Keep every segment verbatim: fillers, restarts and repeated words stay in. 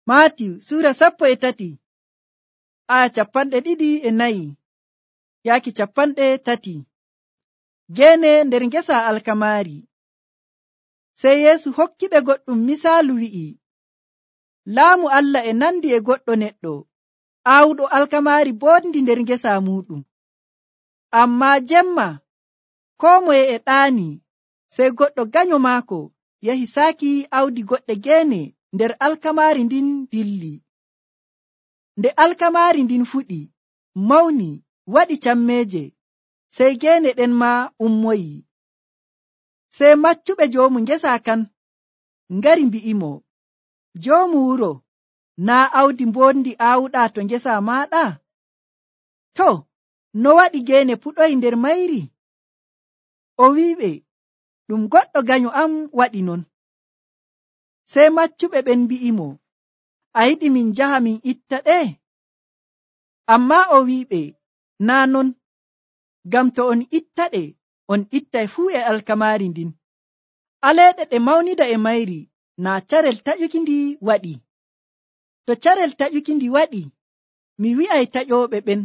Maatiyu Suura sappo e tati aya capanɗe ɗiɗi e nayi yaaki capanɗe tati. Geene nder ngesa alkamaari. Sey Yeesu hokkiɓe goɗɗum misaalu wi'i, Laamu Allah e nandi e goɗɗo neɗɗo aawuɗo alkamaari boɗndi nder ngesa muɗum. Ammaa jemma koo moye e ɗaani, sey goɗɗo ganyo maako yahi saaki awdi goɗɗe geene nder alkamaari ndin dilli. Nde alkamaari ndin fuɗi, mawni, waɗi cammeeje, sey geene ɗen maa ummoyi. Sey maccuɓe joomu ngesa kan ngari mbi'imo, Joomu wuro, naa awdi mbondi aawuɗaa to ngesa maaɗa? To, no waɗi geene puɗoyi nder mayri? O wi'iɓe, Ɗum goɗɗo ganyo am waɗi non. Sey maccuɓe ɓen mbi'imo, A yiɗi min njaha min itta ɗe? Ammaa o wi'iɓe, Naa non, ngam to on ittaɗe, on ittay fuu e alkamaari ndin. Aleeɗe ɗe mawnida e mayri, naa carel taƴuki ndi waɗi. To carel taƴuki ndi waɗi, mi wi'ay taƴooɓe ɓen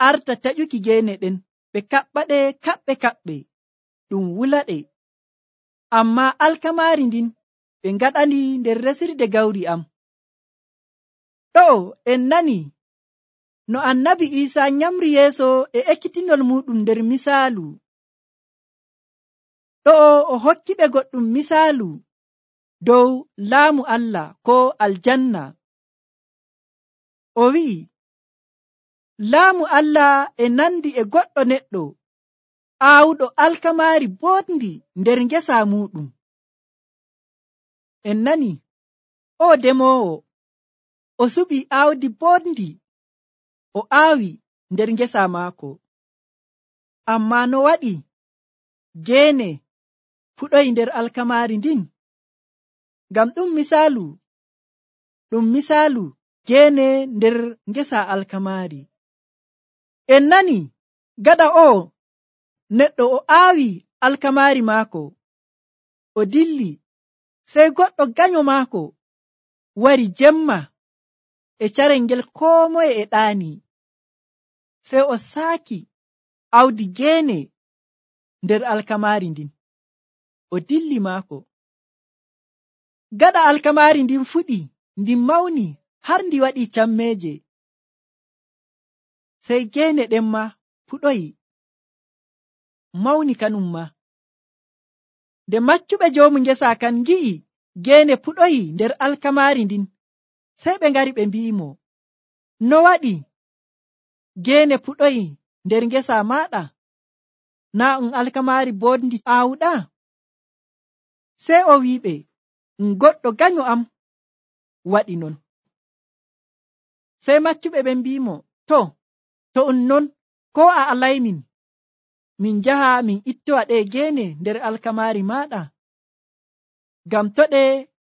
arta taƴuki geene ɗen, ɓe kaɓɓaɗe kaɓɓe kaɓɓe, ɗum wulaɗe. Ammaa alkamaari ndin ɓe ngaɗandi nder resirde gawri am. Ɗo'o en nani no annabi Iisaa nyamri yeeso e ekkitinol muɗum nder misaalu. Ɗo'o o hokkiɓe goɗɗum misaalu dow laamu Allah ko aljanna. O wi'i, Laamu Allah e nandi e goɗɗo neɗɗo aawuɗo alkamaari boɗndi nder ngesa muɗum. En nani, o demoowo, o suɓi aawdi boɗndi, o aawi nder ngesa maako. Ammaa no waɗi geene fuɗoyi nder alkamaari ndin? Ngam ɗum misaalu, ɗum misaalu geene nder ngesa alkamaari. En nani, gaɗa o neɗɗo o aawi alkamaari maako, o dilli, sey goɗɗo ganyo maako wari jemma e carel ngel koo moye e ɗaani. Sey o saaki awdi geene nder alkamaari ndin, o dilli maako. Gaɗa alkamaari ndin fuɗi, ndin mawni har ndi waɗi cammeeje, sey geene ɗen ma fuɗoyi, mawni kanum ma. Nde maccuɓe joomu ngesa kan ngi'i geene fuɗoyi nder alkamaari ndin, sey ɓe ngari ɓe mbi'imo, No waɗi geene fuɗoyi nder ngesa maaɗa? Naa um alkamaari boɗndi aawuɗaa? Sey o wi'iɓe, Um goɗɗo ganyo am waɗi non. Sey maccuɓe ɓen mbi'imo, To, to um non, koo a alaymin min njaha min ittowa ɗe geene nder alkamaari maaɗa? Ngam to ɗe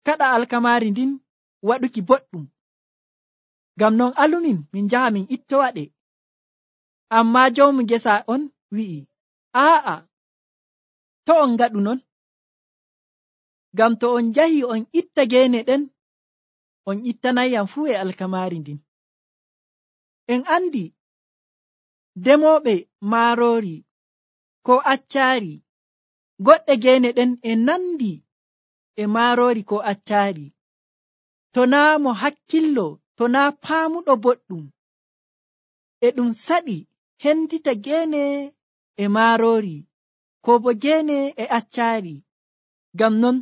kaɗa alkamaari ndin waɗuki boɗɗum. Ngam non alumin min njaha min ittowa ɗe. Ammaa joomu ngesa on wi'i, Aa'a, to on ngaɗu non. Ngam to on njahi on itta geene ɗen, on ittanayyam fuu e alkamaari ndin. En andi demooɓe maaroori ko accaari, goɗɗe geene ɗen e nandi e maaroori ko accaari. To naa mo hakkillo, to naa paamuɗo boɗɗum, e ɗum saɗi hendita geene e maaroori ko bo geene e accaari. Ngam non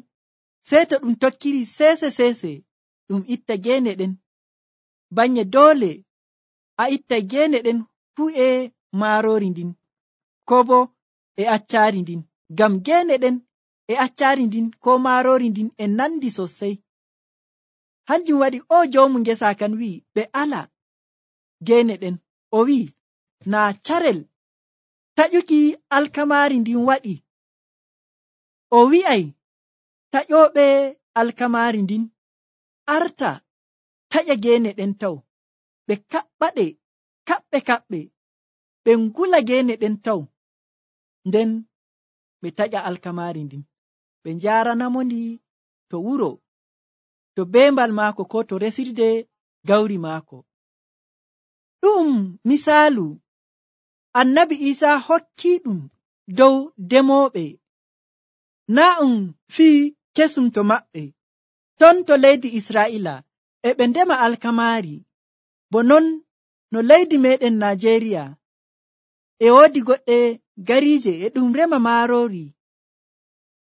sey to ɗum tokkiri seese seese ɗum itta geene ɗen, banye doole a ittay geene ɗen fuu e maaroori ndin ko bo e accaari ndin. Ngam geene ɗen e accaari ndin ko maaroori ndin e nandi sosai. Hanjum waɗi o joomu ngesa kan wi'i ɓe ala geene ɗen. O wi'i, Naa carel taƴuki alkamaari ndin waɗi. O wi'ay taƴooɓe alkamaari ndin arta taƴa geene ɗen taw, ɓe kaɓɓaɗe kaɓɓe kaɓɓe, ɓe ngula geene ɗen taw, nden ɓe taƴa alkamaari ndin, ɓe njaaranamo ndi to wuro. to bembal maako ko to resirde gawri maako. Ɗum misaalu annabi Isa hokki ɗum dow demoɓe, na um fii kesum to maɓɓe. Ton to leydi Israa'ila e ɓe ndema alkamaari, bo non no leydi meɗen Najeriya e woodi goɗɗe gariije e ɗum rema maaroori,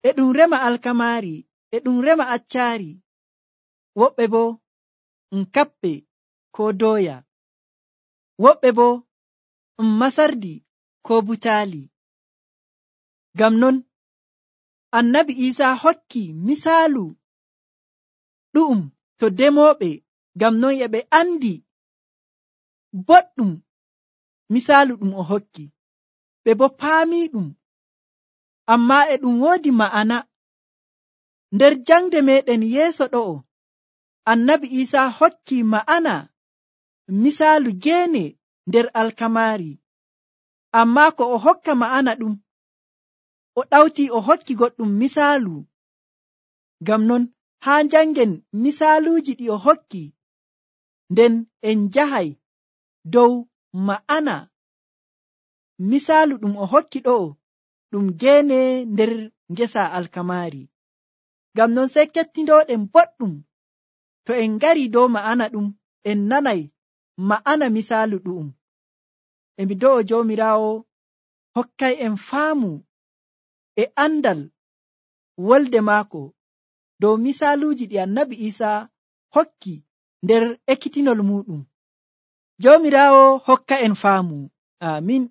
e ɗum rema alkamaari, e ɗum rema accaari, woɓɓe bo um kappe ko doya, woɓɓe bo um masardi ko butaali. Ngam non annabi Isa hokki misaalu ɗu'um to demoɓe, ngam non e ɓe andi boɗɗum misaalu ɗum o hokki, ɓe bo paami ɗum, amma e ɗum woodi ma'ana. Nder jangde meɗen yeeso ɗo'o, annabi Isa hokki ma'ana misaalu geene nder alkamaari, amma ko o hokka ma'ana ɗum, o ɗawti o hokki goɗɗum misaalu. Ngam non haa jangen misaaluuji ɗi o hokki, nden en njahay dow ma'ana misaalu ɗum o hokki ɗo'o ɗum geene nder ngesa alkamaari. Ngam non sey kettindooɗen boɗɗum, to en ngari dow ma'ana ɗum, en nanay ma'ana misaalu ɗu'um. E mi do'o Joomiraawo hokkay en faamu e andal wolde maako dow misaaluuji ɗi annabi Isa hokki nder ekkitinol muɗum. Joomiraawo hokka en faamu. Amin.